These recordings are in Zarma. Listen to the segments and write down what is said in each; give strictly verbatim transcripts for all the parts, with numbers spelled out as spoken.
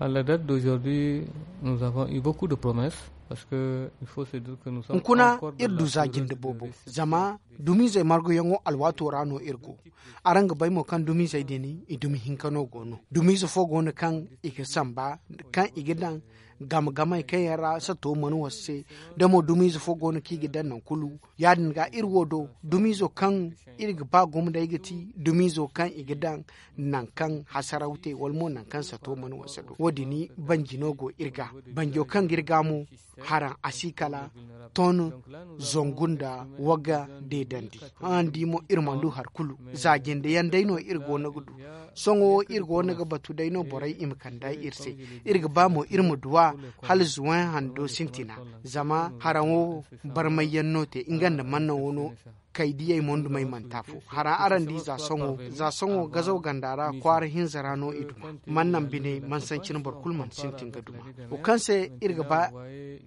À la date d'aujourd'hui, nous avons eu beaucoup de promesses, parce que il faut se dire que nous sommes hunkuna encore dans iri la du za période jinde de boobo décembre. Zama dumiizey marguyaŋo alwaato ra no iri go. Araŋ ga bay mo kaŋ dumiizey din i dumi hinka no go no. Dumiize fo go no kaŋ i ga samba, kaŋ i ga daŋ game-gamey kaŋ yaŋ ra sato mana wasa se. Da mo dumiize fo go no kaŋ i ga daŋ nangu kulu. Ya- din ga iri wo do, dumiizo kaŋ iri ga ba gumo day ga ti dumiizo kaŋ i ga daŋ nangu kaŋ hasaraw te wala mo nangu kaŋ sato mana wasa do. Wo- din banji no go iri ga. Banjo kaŋ ga iri ga mo, haraŋ a si kala ton zangu nda wagga deedandi. Araŋ di mo, iri mana du hari kulu. Za jinde yaŋ day no iri go no ga du. Sohõ wo iri go no ga batu day no borey i ma kand'a iri se. Iri ga ba mo iri ma duw'a hala zuway hando sintina. Zama haraŋo barmay yaŋ no te nga nda mannaŋo no. Kay diyey mo nda may mana te afo. Hara araŋ di za sohõ, za sohõ gazaw ganda ra kwaara hinza ra no i duma. Mannaŋ bine mana sancine boro kulu mana sintin ga duma. Wo kaŋ se iri ga ba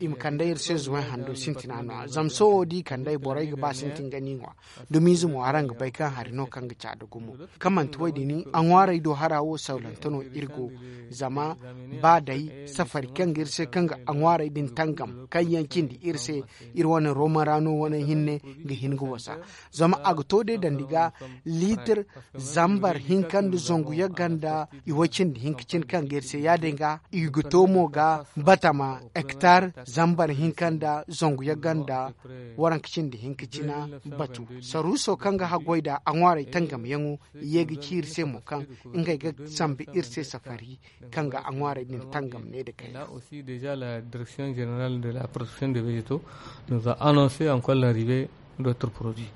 i ma kand'ey iri se zuway hando sintina no- ya zama sohõ da i kand'ey borey ga ba sintin ga ni ŋwa. Dumiize mo araŋ ga bay kaŋ hari no kaŋ ga caada gumo. Kaŋ manti wo- din a ŋwaarey do hara wo sawlante no iri go. Zama ba day safari kaŋ ga iri se kaŋ ga a ŋwaarey din tangam kaŋ yaŋ cindi iri se, iri wane rooma ra no wane hinne ga hin ga wasa. Zama a ga to day dandi ga liitir zambar hinka nda zangu yagga nda iway cindi hinka cine kaŋ ga iri se ya- din ga i ga to mo ga batama hektar zambar hinka nda zangu yagga nda waranka cindi hinka cina batu. Saruuso kaŋ ga haggoy nda a ŋwaarey tangamyaŋo ye ga ci iri se mo kaŋ ngey ga sambu iri se safari kaŋ ga a ŋwaarey din tangam ne nda kayna. Là aussi déjà la direction générale de la protection des végétaux nous a annoncé encore l'arrivée d'autres produits.